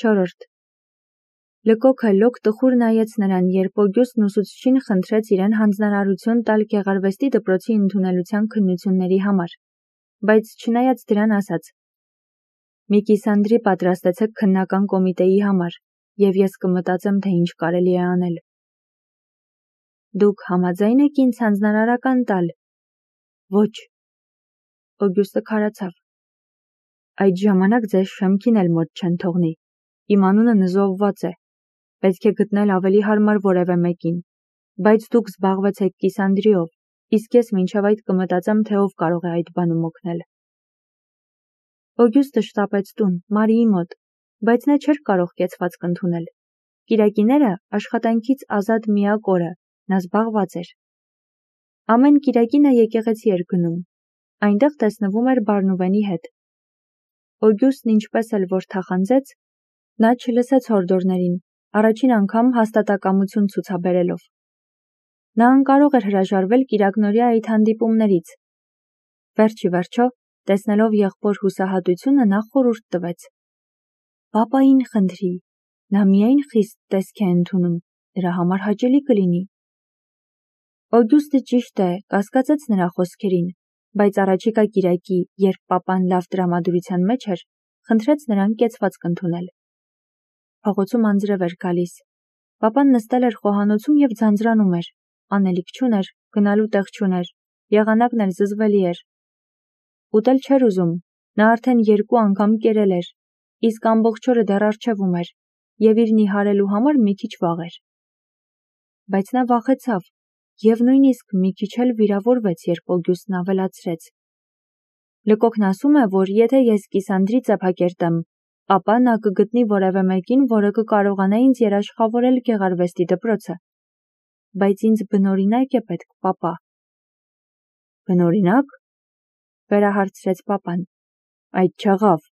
4. Լկոքը լոկ տխուր նայեց նրան, երբ Օգյուստն ուսուցչին խնդրեց իրեն հանձնարարություն տալ գեղարվեստի դպրոցի ընդունելության քննությունների համար, բայց չնայած դրան ասաց. «Մի կիսանդրի պատրաստեցեք քննական կոմիտեի համար, և ես կմտածեմ, թե ինչ կարելի է անել»։ Դուք համաձայն եք ինձ հանձնարարական տալ։ Ոչ։ Օգյուստը քարացավ։ Այդ ժամանակ ձեզ շեմքին էլ մոտ չեն թողնի։ Իմ անունը նզովված է։ Պետք է գտնել ավելի հարմար որևէ մեկին, բայց դուք զբաղվեցեք կիսանդրիով, իսկ ես մինչև այդ կմտածեմ, թե ով կարող է այդ բանում օգնել։ Օգյուստը շտապեց տուն, Մարիի մոտ, բայց նա չէր կարող կեցվածք ընդունել։ Կիրակիները աշխատանքից ազատ միակ օրը, նա զբաղված էր։ Ամեն կիրակի նա եկեղեցի էր գնում, այնտեղ տեսնվում էր Բարնուվենի հետ։ Օգյուստն ինչպես էլ որ թախանձեց, նա չլսեց հորդորներին, առաջին անգամ հաստատակամություն ցուցաբերելով։ Նա անկարող էր հրաժարվել կիրակնօրյա այդ հանդիպումներից։ Վերջի վերջո, տեսնելով եղբոր հուսահատությունը, նա խորհուրդ տվեց. «Պապային խնդրի, նա միայն խիստ տեսք է ընդունում, նրա համար հաճելի կլինի»։ Օգյուստը ճիշտ է, կասկածեց նրա խոսքերին, բայց առաջիկա կիրակի, երբ պապան լավ տրամադրության մեջ էր, խնդրեց նրան կեցվածք ընդունել։ Փողոցում անձրև էր գալիս։ Պապան նստել էր խոհանոցում և ձանձրանում էր, անելիք չուներ, գնալու տեղ չուներ, եղանակն էլ զզվելի էր։ Ուտել չէր ուզում, նա արդեն 2 անգամ կերել էր, իսկ ամբողջ օրը դեռ առջևում էր, և իր նիհարելու համար մի քիչ վաղ էր։ Բայց նա վախեցավ, և նույնիսկ մի քիչ էլ վիրավորվեց, երբ Օգյուստն ավելացրեց. «Լկոքն ասում է, որ եթե ես կիսանդրի ծեփակերտեմ, ապա նա կգտնի որևէ մեկին, որը կկարողանա ինձ երաշխավորել գեղարվեստի դպրոցը։ Բայց ինձ բնօրինակ է պետք, պապա»։ Բնօրինակ, վերահարցրեց պապան։ Այդ չեղավ։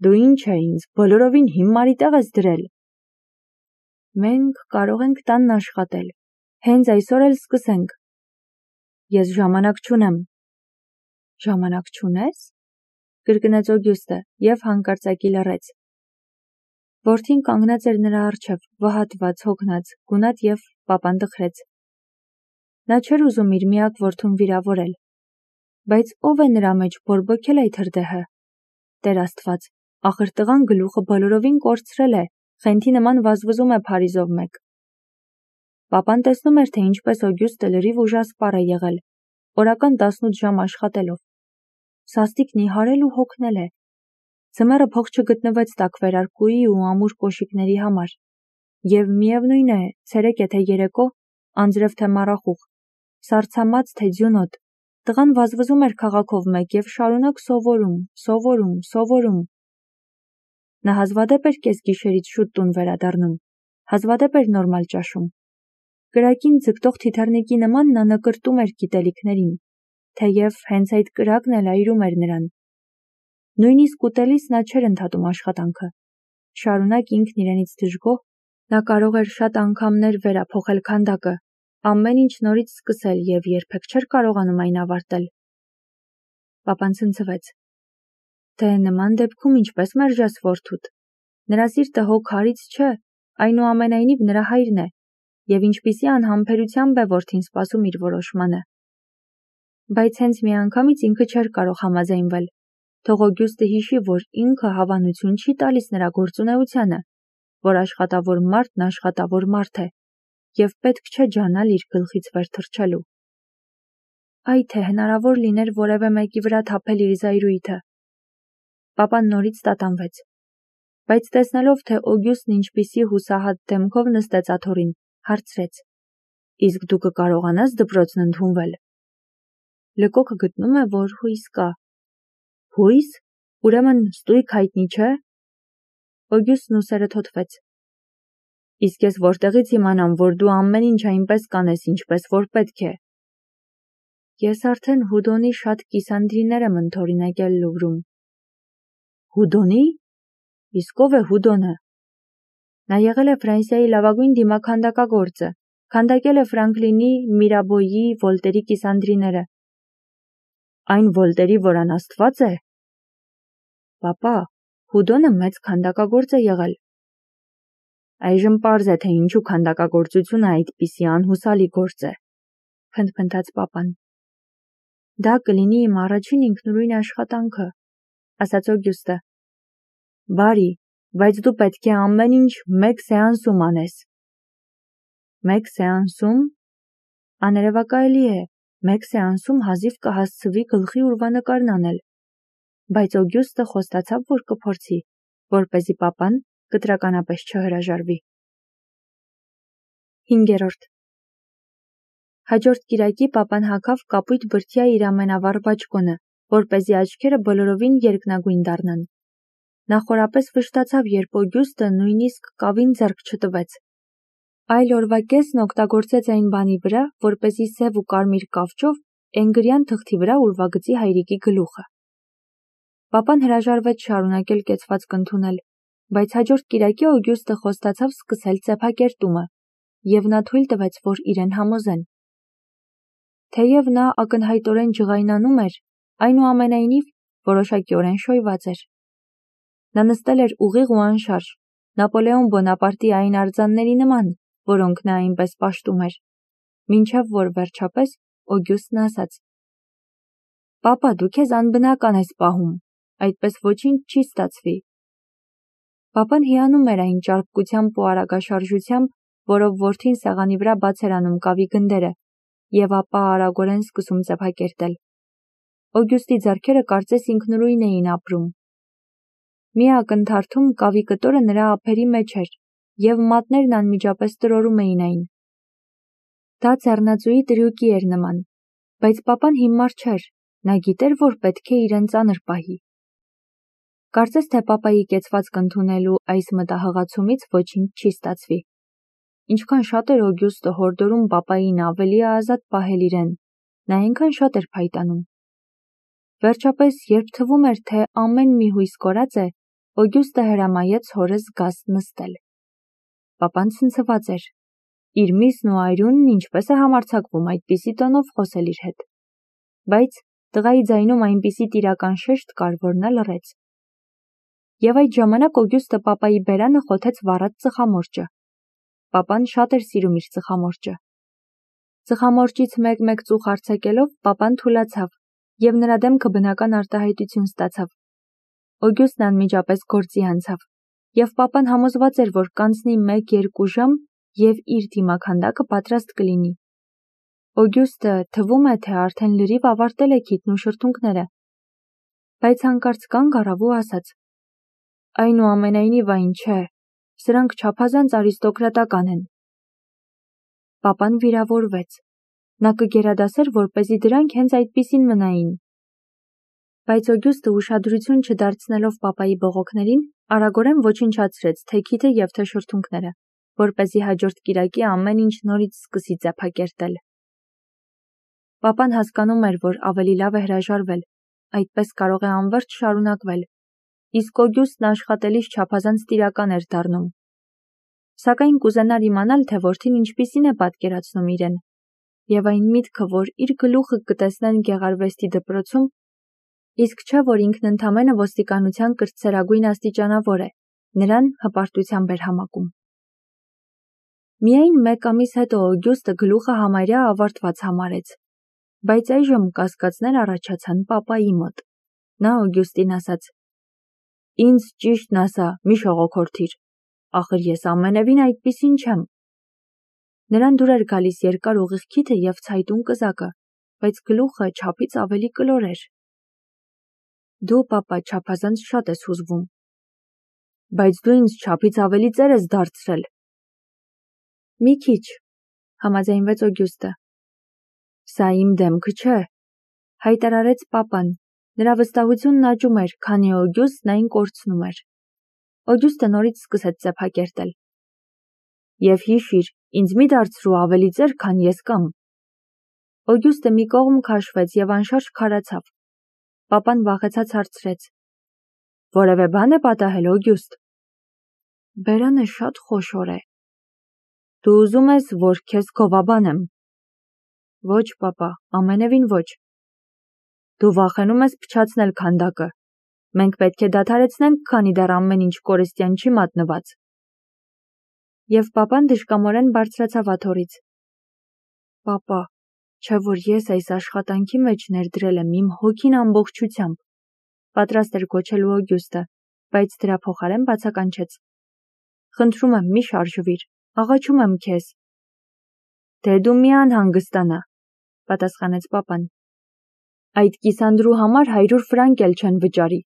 Դու ինչ է ինձ բոլորովին հիմարի տեղ ես դրել։ Մենք կարող ենք տանն աշխատել։ Հենց այսօր էլ սկսենք։ Ես ժամանակ չունեմ։ Ժամանակ չունես։ Կրկնեց Օգյուստը և հանկարծակի լռեց։ Որդին կանգնած էր նրա առջև, վհատված, հոգնած, գունատ և պապան տխրեց։ Նա չէր ուզում իր միակ որդուն վիրավորել։ Բայց ով է նրա մեջ բորբոքել այդ հրդեհը։ Տեր Աստված, ախր տղան գլուխը բոլորովին կորցրել է, խենթի նման վազվզում է Փարիզով մեկ։ Պապան տեսնում էր, թե ինչպես Օգյուստը լրիվ ուժասպառ է եղել, օրական 18 ժամ աշխատելով։ Սաստիկ նիհարել ու հոգնել է։ Ձմեռը փող չգտնվեց տաք վերարկուի ու ամուր կոշիկների համար։ Եվ միևնույն է, ցերեկ թե երեկո, անձրև թե մառախուղ, սառցամած թե ձյունոտ, տղան վազվզում էր քաղաքով մեկ և շարունակ սովորում։ Նա հազվադեպ էր կեսգիշերից շուտ տուն վերադառնում, հազվադեպ էր նորմալ ճաշում։ Կրակին ձգտող թիթեռնիկի նման նա նկրտում էր գիտելիքներին, թեև հենց այդ կրակն էլ այրում էր նրան։ Նույնիսկ ուտելիս նա չէր ընդհատում աշխատանքը։ Շարունակ ինքն իրենից դժգոհ, նա կարող էր շատ անգամներ վերափոխել քանդակը, ամեն ինչ նորից սկսել և երբեք չէր կարողանում այն ավարտել։ Պապան ցնցվեց։ Դե նման դեպքում ինչպես մերժես որդուդ։ Նրա սիրտը հո քարից չէ, այնուամենայնիվ նրա հայրն է, և ինչպիսի անհամբերությամբ է որդին սպասում իր որոշմանը։ Բայց հենց միանգամից ինքը չէր կարող համաձայնվել։ Թող Օգյուստը հիշի, որ ինքը հավանություն չի տալիս նրա գործունեությանը, որ աշխատավոր մարդն աշխատավոր մարդ է, և պետք չէ ջանալ իր գլխից վեր թռչելու։ Այ թե հնարավոր լիներ որևէ մեկի վրա թափել իր զայրույթը։ Պապան նորից տատանվեց։ Բայց տեսնելով, թե Օգյուստն ինչպիսի հուսահատ դեմքով նստեց աթոռին, հարցրեց. Իսկ դու կկարողանաս դպրոցն ընդունվել։ Լկոքը գտնում է, որ հույս կա։ Հույս։ Ուրեմն ստույգ հայտնի չէ։ Օգյուստն ուսերը թոթվեց։ Իսկ ես որտեղից իմանամ, որ դու ամեն ինչ այնպես կանես, ինչպես որ պետք է։ Ես արդեն Հուդոնի շատ կիսանդրիներ եմ ընդօրինակել Լուվրում։ Հուդոնի։ Իսկ ով է Հուդոնը։ Նա եղել է Ֆրանսիայի լավագույն դիմաքանդակագործը, քանդակել է Ֆրանկլինի, Միրաբոյի, Վոլտերի կիսանդրիները։ Այն Վոլտերի, որ անաստված է։ Պապա, Հուդոնը մեծ քանդակագործ է եղել, Այժմ պարզ է, թե ինչու քանդակագործությունը այդպիսի անհուսալի գործ է, փնթփնթաց պապան։ Դա կլինի իմ առաջին ինքնուրույն աշխատանքը, ասաց Օգյուստը։ Բարի, բայց դու պետք է ամեն ինչ մեկ սեանսում անես։ Մեկ սեանսում։ Աներևակայելի է, մեկ սեանսում հազիվ կհասցվի գլխի ուրվանկարն անել։ Բայց Օգյուստը խոստացավ, որ կփորձի, որպեսզի պապան կտրականապես չհրաժարվի։ 5. Հաջորդ կիրակի պապան հագավ կապույտ բրդյա իր ամենավառ բաճկոնը, որպեսզի աչքերը բոլորովին երկնագույն դառնան։ Նա խորապես վշտացավ, երբ Օգյուստը նույնիսկ կավին ձեռք չտվեց։ Այլ օրվա կեսն օգտագործեց այն բանի վրա, որպեսզի սև ու կարմիր կավճով էնգրյան թղթի վրա ուրվագծի հայրիկի գլուխը։ Պապան հրաժարվեց շարունակել կեցվածք ընդունել, բայց հաջորդ կիրակի Օգյուստը խոստացավ սկսել ծեփակերտումը, և նա թույլ տվեց, որ իրեն համոզեն։ Թեև նա ակնհայտորեն ջղայնանում էր, այնուամենայնիվ որոշակիորեն շոյված էր։ Նա նստել էր ուղիղ ու անշարժ, Նապոլեոն Բոնապարտի այն արձանների նման, որոնք նա այնպես պաշտում էր, մինչև որ վերջապես Օգյուստն ասաց. «Պապա, դու քեզ անբնական ես պահում, այդպես ոչինչ չի ստացվի»։ Պապան հիանում էր այն ճարպկությամբ ու արագաշարժությամբ, որով որդին սեղանի վրա բաց էր անում կավի գնդերը, և ապա արագորեն սկսում ծեփակերտել։ Օգյուստի ձեռքերը կարծես ինքնուրույն էին ապրում։ Մի ակնթարթում կավի կտորը նրա ափերի մեջ էր, և մատներն անմիջապես տրորում էին այն։ Դա ձեռնածուի տրյուկի էր նման, բայց պապան հիմար չէր, նա գիտեր, որ պետք է իրեն ծանր պահի։ Կարծես թե պապայի կեցվածք ընդունելու այս մտահղացումից ոչինչ չի ստացվի։ Ինչքան շատ էր Օգյուստը հորդորում պապային ավելի ազատ պահել իրեն, նա այնքան շատ էր փայտանում։ Վերջապես, երբ թվում էր, թե ամեն մի հույս կորած է, Օգյուստը հրամայեց հորը զգաստ նստել։ Պապան ցնցված էր։ Իր միսն ու այրունն ինչպես է համարձակվում այդպիսի տոնով խոսել իր հետ։ Բայց տղայի ձայնում այնպիսի տիրական շեշտ կար, որ նա լռեց։ Եվ այդ ժամանակ Օգյուստը պապայի բերանը խոթեց վառած ծխամորճը։ Պապան շատ էր սիրում իր ծխամորճը։ Ծխամորճից մեկ-մեկ ծուխ արձակելով, պապան թուլացավ, և նրա դեմքը բնական արտահայտություն ստացավ։ Օգյուստն անմիջապես գործի անցավ, և պապան համոզված էր, որ կանցնի 1-2 ժամ, և իր դիմաքանդակը պատրաստ կլինի։ Օգյուստը թվում է, թե արդեն լրիվ ավարտել է քիթն ու շրթունքները, բայց հանկարծ կանգ առավ ու ասաց. «Այնուամենայնիվ այն չէ, սրանք չափազանց արիստոկրատական են»։ Պապան վիրավորվեց։ Նա կգերադասեր, որպեսզի դրանք հենց այդպիսին մնային։ Բայց Օգյուստը ուշադրություն չդարձնելով պապայի բողոքներին, արագորեն ոչնչացրեց թե քիթը և թե շրթունքները, որպեսզի հաջորդ կիրակի ամեն ինչ նորից սկսի ծեփակերտել։ Պապան հասկանում էր, որ ավելի լավ է հրաժարվել, այդպես կարող է անվերջ շարունակվել, իսկ Օգյուստն աշխատելիս չափազանց տիրական էր դառնում։ Սակայն կուզենար իմանալ, թե որդին ինչպիսին է պատկերացնում իրեն, և այն միտքը, որ իր գլուխը կտեսնեն գեղարվեստի դպրոցում, իսկ չէ, որ ինքն ընդամենը ոստիկանության կրտսերագույն աստիճանավոր է, նրան հպարտությամբ էր համակում։ Միայն 1 ամիս հետո Օգյուստը գլուխը համարյա ավարտված համարեց, բայց այժմ կասկածներ առաջացան պապայի մոտ։ Նա Օգյուստին ասաց. «Ինձ ճիշտն ասա, մի շողոքորթիր, ախր ես ամենևին այդպիսին չեմ»։ Նրան դուր էր գալիս երկար ուղիղ քիթը և ցայտուն կզակը, բայց գլուխը չափից ավելի կլոր էր։ «Դու, պապա, չափազանց շատ ես հուզվում»։ «Բայց դու ինձ չափից ավելի ծեր ես դարձրել»։ «Մի քիչ», համաձայնվեց Օգյուստը։ «Սա իմ դեմքը չէ», հայտարարեց պապան։ Նրա վստահությունն աճում էր, քանի Օգյուստն այն կորցնում էր։ Օգյուստը նորից սկսեց ծեփակերտել։ «Եվ հիշիր, ինձ մի դարձրու ավելի ծեր, քան ես կամ»։ Օգյուստը մի կողմ քաշվեց և անշարժ քարացավ։ Պապան վախեցած հարցրեց. «Որևէ բան է պատահել, Օգյուստ»։ «Բերանը շատ խոշոր է»։ «Դու ուզում ես, որ քեզ գովաբանեմ»։ «Ոչ, պապա, ամենևին ոչ»։ «Դու վախենում ես փչացնել քանդակը։ Մենք պետք է դադարեցնենք, քանի դեռ ամեն ինչ կորստյան չի մատնված»։ Եվ պապան դժկամորեն բարձրացավ աթոռից։ Պապա, չէ որ ես այս աշխատանքի մեջ ներդրել եմ իմ հոգին ամբողջությամբ, պատրաստ էր գոչելու Օգյուստը, բայց դրա փոխարեն բացականչեց։ Խնդրում եմ, մի շարժվիր, աղաչում եմ քեզ։ Դե դու մի անհանգստանա, պատասխանեց պապան։ Այդ կիսանդրու համար 100 ֆրանկ էլ չեն վճարի։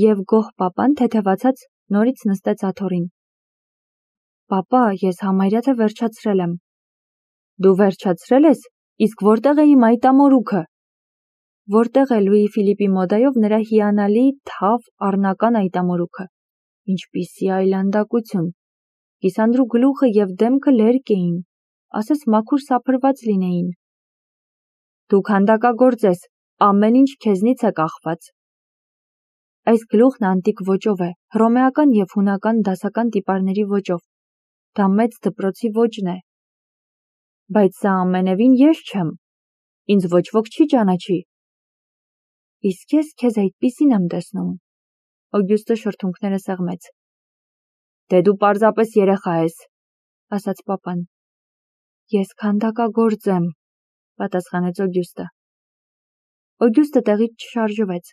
Եվ գոհ պապան թեթևացած նորից նստեց աթոռին։ Պապա, ես համարյա թե վերջացրել եմ։ Դու վերջացրել ես, իսկ որտեղ է իմ այտամորուքը։ Որտեղ է Լուի Ֆիլիպի մոդայով նրա հիանալի թավ առնական այտամորուքը։ Ինչպիսի այլանդակություն։ Կիսանդրու գլուխը և դեմքը լերկ էին, ասես մաքուր սափրված լինեին։ Դու քանդակագործ ես, ամեն ինչ քեզնից է կախված։ Այս գլուխն անտիկ ոճով է, հռոմեական և հունական դասական տիպարների ոճով։ Դա մեծ դպրոցի ոճն է։ Բայց սա ամենևին ես չեմ, ինձ ոչ ոք չի ճանաչի։ Իսկ ես քեզ այդպիսին եմ տեսնում։ Օգյուստը շրթունքները սեղմեց։ Դե դու պարզապես երեխա ես, ասաց պապան։ Ես քանդակագործ եմ, պատասխանեց Օգյուստը։ Օգյուստը տեղից չշարժվեց,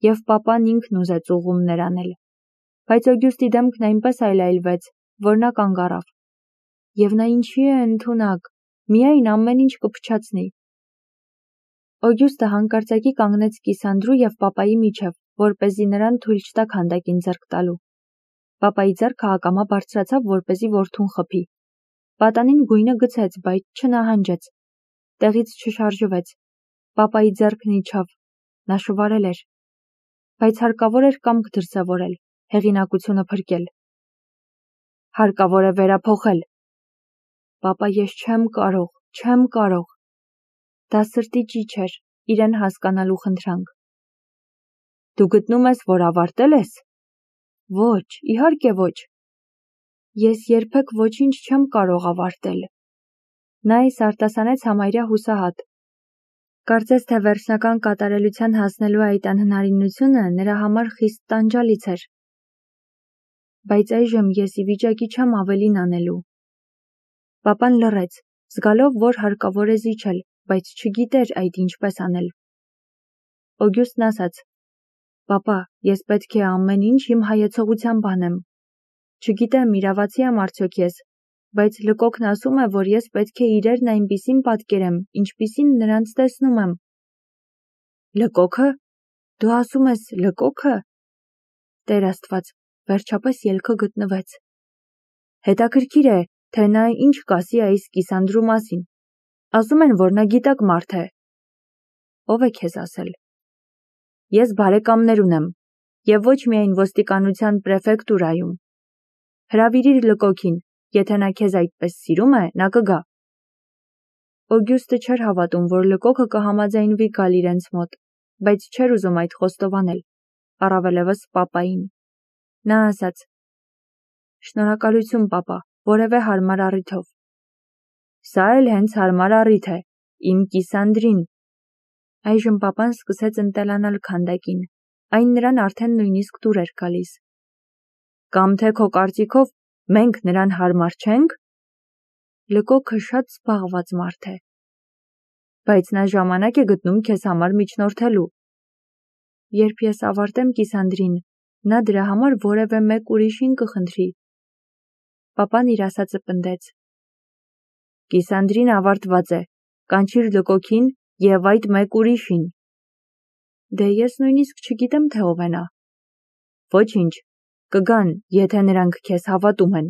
և պապան ինքն ուզեց ուղղումներ անել։ Բայց Օգյուստի դեմքն այնպես այլայլվեց, որ նա կանգ առավ։ Եվ նա ինչի է ընդունակ, միայն ամեն ինչ կփչացնի։ Օգյուստը հանկարծակի կանգնեց կիսանդրու և պապայի միջև, որպեսզի նրան թույլ չտա քանդակին ձեռք տալու։ Պապայի ձեռքը ակամա բարձրացավ, որպեսզի որդուն խփի։ Պատանին գույնը գցեց, բայց չնահանջեց։ Տեղից չշարժվեց։ Պապայի ձեռքն իջավ։ Նա շվարել էր։ Բայց հարկավոր էր կամք դրսևորել, հեղինակությունը փրկել։ Հարկավոր է վերափոխել։ Պապա, ես չեմ կարող։ Դա սրտի ճիչ էր, իրեն հասկանալու խնդրանք։ Դու գտնում ես, որ ավարտել ես։ Ոչ, իհարկե ոչ։ Ես երբեք ոչինչ չեմ կարող ավարտել։ Նա այս արտասանեց համարյա հուսահատ։ Կարծես թե վերջնական կատարելության հասնելու այդ անհնարինությունը նրա համար խիստ տանջալից էր։ Բայց այժմ ես ի վիճակի չեմ ավելին անելու։ Պապան լռեց, զգալով, որ հարկավոր է զիջել, բայց չգիտեր այդ ինչպես անել։ Օգյուստն ասաց. Պապա, ես պետք է ամեն ինչ իմ հայեցողությամբ անեմ։ Չգիտեմ, իրավացի եմ արդյոք ես, բայց լկոքն ասում է, որ ես պետք է իրերն այնպիսին պատկերեմ, ինչպիսին նրանց տեսնում եմ։ Լկոքը։ Դու ասում ես լկոքը։ Տեր Աստված, վերջապես ելքը գտնվեց։ Հետաքրքիր է, թե նա ինչ կասի այս կիսանդրու մասին։ Ասում են, որ նա գիտակ մարդ է։ Ով է քեզ ասել։ Ես բարեկամներ ունեմ, և ոչ միայն ոստիկանության պրեֆեկտուրայում։ Հրավիրիր լկոքին, եթե նա քեզ այդպես սիրում է, նա կգա։ Օգյուստը չէր հավատում, որ լկոքը կհամաձայնվի գալ իրենց մոտ, բայց չէր ուզում այդ խոստովանել, առավելևս պապային։ Նա ասաց. Շնորհակալություն, պապա, որևէ հարմար առիթով։ Սա էլ հենց հարմար առիթ է, իմ կիսանդրին։ Այժմ պապան սկսեց ընտելանալ քանդակին, այն նրան արդեն նույնիսկ դուր էր գալիս։ Կամ թե քո կարծիքով մենք նրան հարմար չենք։ Լկոքը շատ զբաղված մարդ է։ Բայց նա ժամանակ է գտնում քեզ համար միջնորդելու։ Երբ ես ավարտեմ կիսանդրին, նա դրա համար որևէ մեկ ուրիշին կխնդրի։ Պապան իր ասածը պնդեց։ Կիսանդրին ավարտված է, կանչիր լկոքին և այդ մեկ ուրիշին։ Դե ես նույնիսկ չգիտեմ, թե ով է նա։ Ոչինչ, կգան, եթե նրանք քեզ հավատում են։